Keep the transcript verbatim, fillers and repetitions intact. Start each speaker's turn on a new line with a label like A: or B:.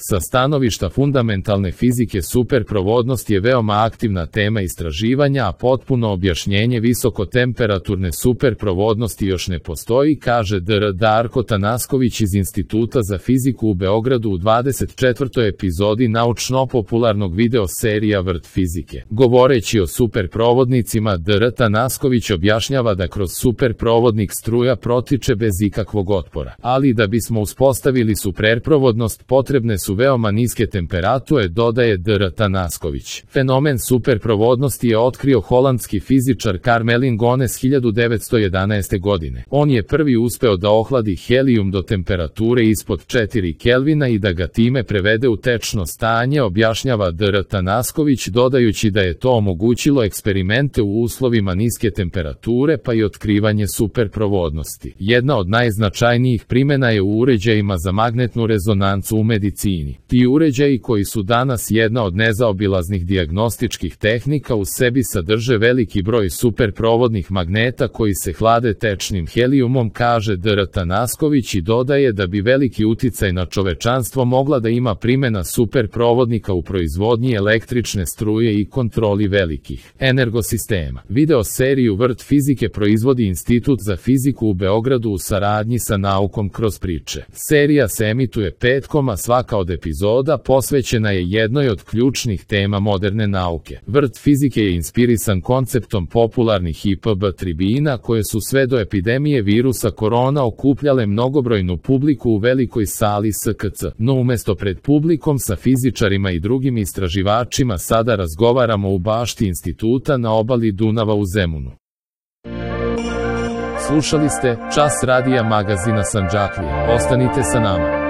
A: Sa stanovišta fundamentalne fizike superprovodnost je veoma aktivna tema istraživanja, a potpuno objašnjenje visokotemperaturne superprovodnosti još ne postoji, kaže dr Darko Tanasković iz Instituta za fiziku u Beogradu u dvadeset četvrtoj epizodi naučno-popularnog video serija Vrt fizike. Govoreći o superprovodnicima, dr Tanasković objašnjava da kroz superprovodnik struja protiče bez ikakvog otpora. Ali da bismo uspostavili superprovodnost potrebne su veoma niske temperature, dodaje dr Tanasković. Fenomen superprovodnosti je otkrio holandski fizičar Karmelin Gones hiljadu devetsto jedanaeste. godine. On je prvi uspeo da ohladi helijum do temperature ispod četiri Kelvina i da ga time prevede u tečno stanje, objašnjava dr Tanasković, dodajući da je to omogućilo eksperimente u uslovima niske temperature pa i otkrivanje superprovodnosti. Jedna od najznačajnijih primjena je u uređajima za magnetnu rezonancu u medicini. Ti uređaji, koji su danas jedna od nezaobilaznih dijagnostičkih tehnika, u sebi sadrže veliki broj superprovodnih magneta koji se hlade tečnim helijumom, kaže dr Tanasković, i dodaje da bi veliki uticaj na čovečanstvo mogla da ima primjena superprovodnika u proizvodnji električne struje i kontroli velikih energosistema. Video seriju Vrt fizike proizvodi Institut za fiziku u Beogradu u saradnji sa Naukom kroz priče. Serija se emituje petkom, a svaka od epizoda posvećena je jednoj od ključnih tema moderne nauke. Vrt fizike je inspirisan konceptom popularnih I P B tribina, koje su sve do epidemije virusa korona okupljale mnogobrojnu publiku u velikoj sali S K C. No umesto pred publikom sa fizičarima i drugim istraživačima sada razgovaramo u bašti instituta na obali Dunava u Zemunu. Slušali ste Čas radija magazina Sandžaklija. Ostanite sa nama.